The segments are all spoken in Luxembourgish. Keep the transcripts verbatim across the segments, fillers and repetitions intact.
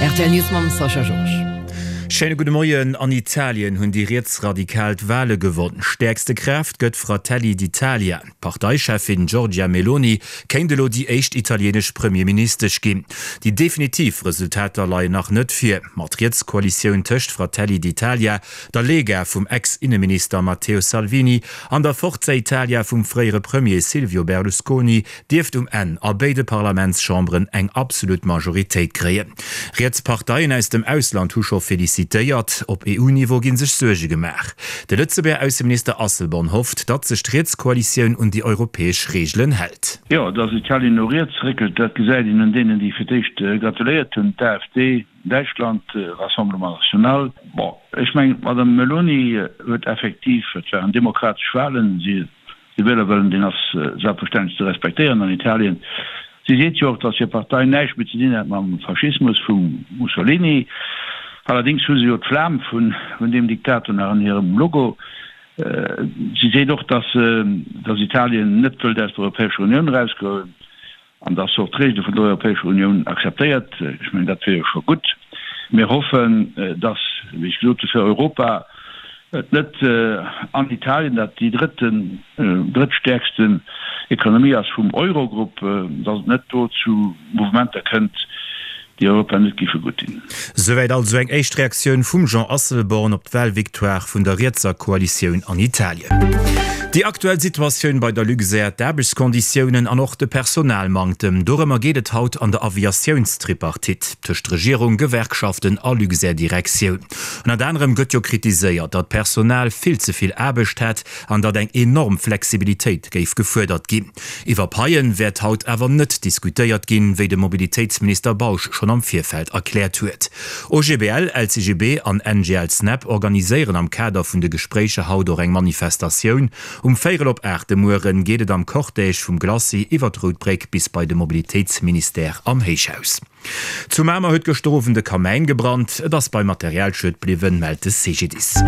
R T L News mam Sascha Georges. Schéine gudde Moien. An Italien hunn déi Rietsradikal d'Wale gewonn. Stäerkste Kraaft gëtt Fratelli d'Italia. D'Parteicheffin Giorgia Meloni kéint elo déi éischt italienesch Premierministesch ginn. Déi definitiv Resultater leien nach net vir. Ma d'Rietskoalitioun tëscht Fratelli d'Italia, der Lega vum Ex-Inneminister Matteo Salvini an der Forza Italia vum fréiere Premier Silvio Berlusconi dierft um Enn a béide Parlamentschamberen eng absolut Majoritéit kréien. Riets Parteien aus dem Ausland hu scho felicitéiert. Op E U-Niveau gi sech Suerge gemaach. De Lëtzebuerger Ausseminister Asselborn hofft, datt sech d'Rietskoalitioun un déi europäesch Reegelen hält. Jo, datt Italien no riets réckelt, dat gesäit een un deenen, déi fir d'éischt gratuléiert hunn, d'A F D, Däitschland, Rassemblement National. Bon, ech mengen, d'Madame Meloni huet effektiv, et waren demokratesch Wahlen, si de Wielerwëllen, deen ass selbstverständlech ze respektéieren an Italien. Si seet jo och, datt hir Partei näischt méi ze dinn hätt mam Faschismus vum Mussolini. Allerdéngs hu se jo d'Flam vun deem Diktator nach an hirem Logo. Si seet och, datt datt Italien net wëllt aus der Europäescher Unioun erausgoen an datt se och d'Reegele vun der Europäescher Unioun akzeptéiert. Ech mengen, dat wier jo scho gutt. Mir hoffen, datt, wéi ech gesot hu, fir Europa et net an Italien, dat déi drëtten, drëttstäerksten Ekonomie ass vum Eurogrupp, datt et net do zu Mouvementer kënnt, déi Europa net géife gutt dinn. Souwäit also eng éischt Reaktioun vum Jean Asselborn op d'Wahlvictoire vun der rietser Koalitioun an Italien. Déi aktuell Situatioun bei der Luxair, d'Aarbechtskonditiounen an och de Personalmanktem, dorëmmer geet et haut an der Aviatiounstripartite tëscht Regierung, Gewerkschaften a Luxair-Direktioun. Ënnert anerem gëtt jo kritiséiert, datt d'Personal vill ze vill Aarbecht hätt an datt eng enorm Flexibilitéit géif gefuerdert ginn. Iwwer Paien wäert haut awer net diskutéiert ginn, wéi de Mobilitéitsminister Bausch schonn am Virfeld erkläert huet. O G B L, L C G B an N G L-Snap organiséieren am Kader vun de Gespréicher haut och eng Manifestatioun. Um véierel op aacht de Mueren geet et am Cortège vum Glacis iwwer d'Rout Bréck bis bei de Mobilitéitsministère am Héichhaus. Zu Mamer huet gëschter Owend e Kamäin gebrannt. Et ass beim Materialschued bliwwen, mellt de C G D I S.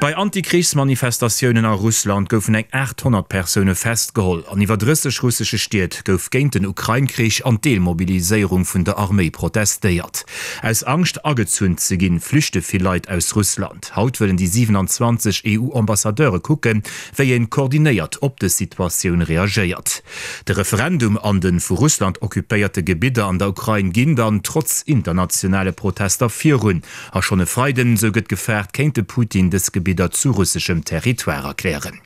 Bei Antikrichsmanifestatiounen a Russland goufen eng aathonnert Persoune festgeholl. An iwwer drësseg russesche Stied gouf géint den Ukrain-Krich an d'Deelmobiliséierung vun der Arméi protestéiert. Aus Angscht agezunn ze ginn, flüchte vill Leit aus Russland. Haut wëllen déi siewenanzwanzeg E U-Ambassadeure kucken, wéi een koordinéiert op dës Situatioun reagéiert. De Referendum an de vu Russland occupéierte Gebidder an der Ukrain ginn dann trotz internationale Protester virun. A schonn e Freiden, sou gëtt gefaart, kéint de Putin dës Gebidder zu russeschem Territoire erklären.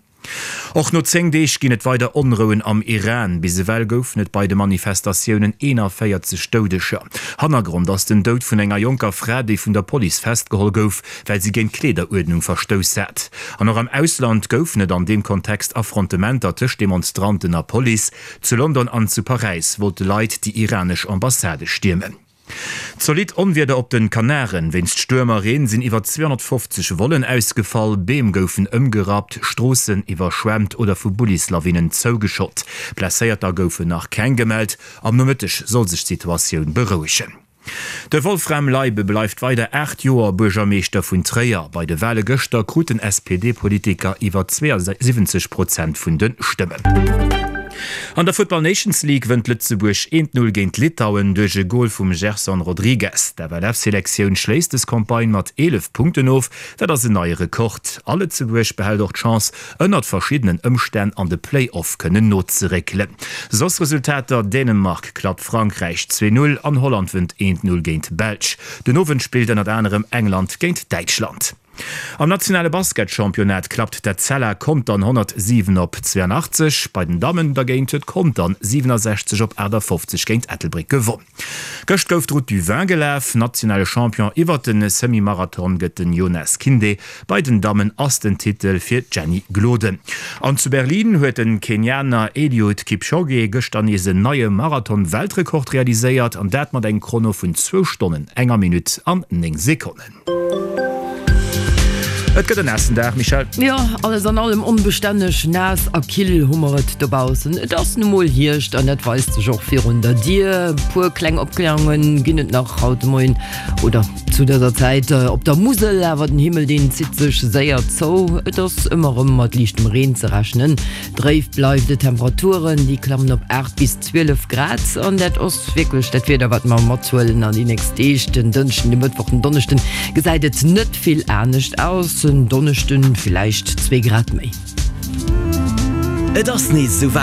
Och no zéng Deeg ginn et weider Onrouen am Iran. Bis ewell goufen et bei de Manifestatiounen eenanvéierzeg Doudeger. Hannergrond ass den Doud vun enger jonker Fra, déi vun der Police festgeholl gouf, well si géint d'Kleederuerdnung verstouss hat. An och am Ausland goufen et an deem Kontext Affrontementer tëscht Demonstranten a Police. Zu London an zu Paräis wollte Leit déi iranesch Ambassade stiermen. Zolidd Onwieder op den Kanaren. Wéinst Stuerm a Reen sinn iwwer zweehonnertfofzeg Vollen ausgefall, Beem goufen ëmgerappt, Stroossen iwwerschwemmt oder vu Bullislawinnen zougeschott. Blesséierter goufen nach keng gemellt. Am Nomëtteg soll sech d'Situatioun berouegen. De Wolfram Leibe bleift weider aacht Joer Buergermeeschter vun Tréier. Bei de Wale gëschter krut den S P D-Politiker iwwer zweeënsiwwenzeg Prozent vun de Stëmmen. An der Football Nations League wënnt Lëtzebuerg eent Null géint Litauen duerch e Gol vum Gerson Rodrigues. D'F L F-Selektioun schléisst des Campagne mat eelef Punkten of, dat ass en neie Rekord. A Lëtzebuerg behält och d'Chance, ënnert verschiddenen Ëmstänn an de Play-off kënnen nozeréckelen. Soss Resultater, Dänemark klappt Frankräich zwee Null an Holland wënnt eent Null géint d'Belsch. Den Owend spillt ënnert anerem England géint Däitschland. Am nationale Basketchampionnat klappt d'Etzella Contern honnertsiwen op zweeënachtzeg. Bei den Dammen dergéint huet Contern siwenasechzeg op aachtafofzeg géint Ettelbréck gewonn. Gëscht gouf d'Route du Vin gelaf. Nationale Champion iwwer de Semi-Marathon gëtt den Yonas Kinde. Bei den Dammen ass den Titel fir d'Jenny Gloden. An zu Berlin huet de Kenianer Eliud Kipchoge gëschter nees en neie Marathon-Weltrekord realiséiert, an dat mat engem Chrono vun zwou Stonnen, enger Minutt an néng Sekonnen. Et gëtt en naassen Dag, Michèle. Jo, alles an allem onbestänneg, naass a kill hu mer et dobaussen. Et ass nu mol Hierscht an dat weist sech och virun der Dier. E puer kleng Opklärunge ginn et nach haut de Moien oder zu dëser Zäit op der Musel, awer den Himmel deen zitt sech séier zou. Et ass ëmmer erëm mat liichtem Reen ze rechnen. Dréif bleift et, Temperaturen déi klammen op aacht bis zwielef Grad an dat ass wierklech dat Wieder wat mer mathuelen an déi nächst Deeg. Den Dënschden, de Mëttwoch, den Donneschden gesäit et net vill anescht aus. En Donneschden villäicht zwee Grad méi. Et ass nees esouwäit!